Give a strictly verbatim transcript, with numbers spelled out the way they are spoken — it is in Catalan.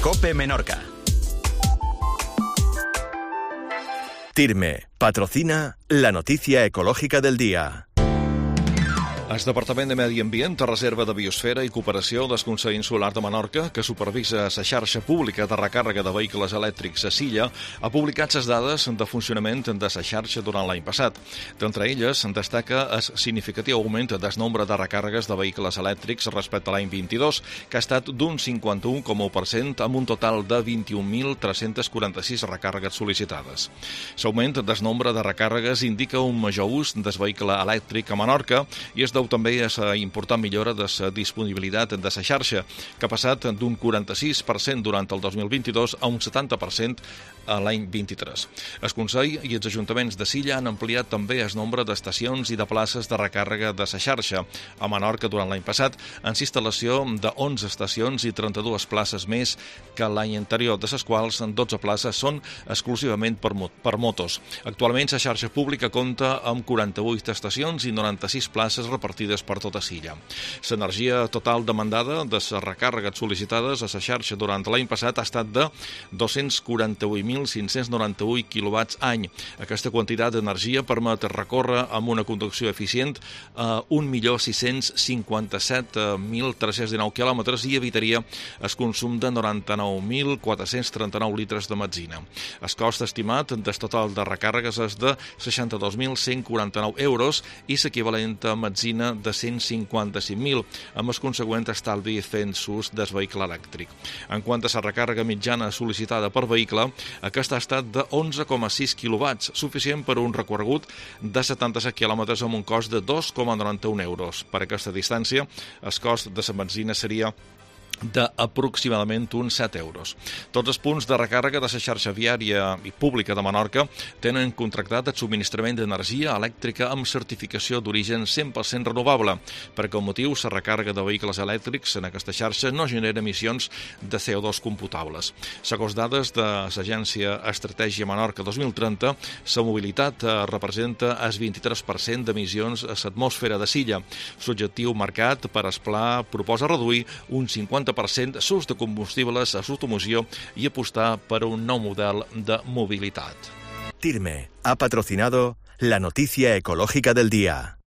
COPE Menorca. TIRME patrocina la noticia ecológica del día. El Departament de Medi Ambient, Reserva de Biosfera i Cooperació del Consell Insular de Menorca, que supervisa la xarxa pública de recàrrega de vehicles elèctrics a Silla, ha publicat les dades de funcionament de la xarxa durant l'any passat. D'entre elles, destaca el significatiu augment del nombre de recàrregues de vehicles elèctrics respecte a l'any vint-i-dos, que ha estat d'un cinquanta-un coma u per cent amb un total de vint-i-un mil tres-cents quaranta-sis recàrregues sol·licitades. L'augment del nombre de recàrregues indica un major ús del vehicle elèctric a Menorca i es deu també a la important millora de la disponibilitat de la xarxa, que ha passat d'un quaranta-sis per cent durant el dos mil vint-i-dos a un setanta per cent a l'any vint-i-tres. El Consell i els ajuntaments de Silla han ampliat també el nombre d'estacions i de places de recàrrega de la xarxa. A Menorca, durant l'any passat, en instal·lació de onze estacions i trenta-dues places més que l'any anterior, de les quals dotze places són exclusivament per, per motos. Actualment, la xarxa pública compta amb quaranta-vuit estacions i noranta-sis places repartides per tota Silla. L'energia total demandada de les recàrregues sol·licitades a la xarxa durant l'any passat ha estat de dos-cents quaranta-vuit mil cinc-cents noranta-vuit quilowatts any. Aquesta quantitat d'energia permet recórrer amb una conducció eficient a un milió sis-cents cinquanta-set mil tres-cents dinou quilòmetres i evitaria el consum de noranta-nou mil quatre-cents trenta-nou litres de benzina. El cost estimat del total de recàrregues és de seixanta-dos mil cent quaranta-nou euros i l'equivalent a benzina de cent cinquanta-cinc mil, amb el consegüent estalvi fent ús del vehicle elèctric. En quant a la recàrrega mitjana sol·licitada per vehicle, aquesta ha estat de onze coma sis quilowatts, suficient per un recorregut de setanta-set quilòmetres amb un cost de dos coma noranta-un euros. Per aquesta distància, el cost de la benzina seria d'aproximadament uns set euros. Tots els punts de recàrrega de la xarxa viària i pública de Menorca tenen contractat el subministrament d'energia elèctrica amb certificació d'origen cent per cent renovable. Per aquest motiu, la recàrrega de vehicles elèctrics en aquesta xarxa no genera emissions de C O dos computables. Segons dades de l'Agència Estratègia Menorca dos mil trenta, la mobilitat representa el vint-i-tres per cent d'emissions a l'atmosfera de Silla. L'objectiu marcat per el pla proposa reduir un cinquanta per cent l'ús de combustibles a l'automoció i apostar per un nou model de mobilitat. TIRME ha patrocinado la noticia ecológica del día.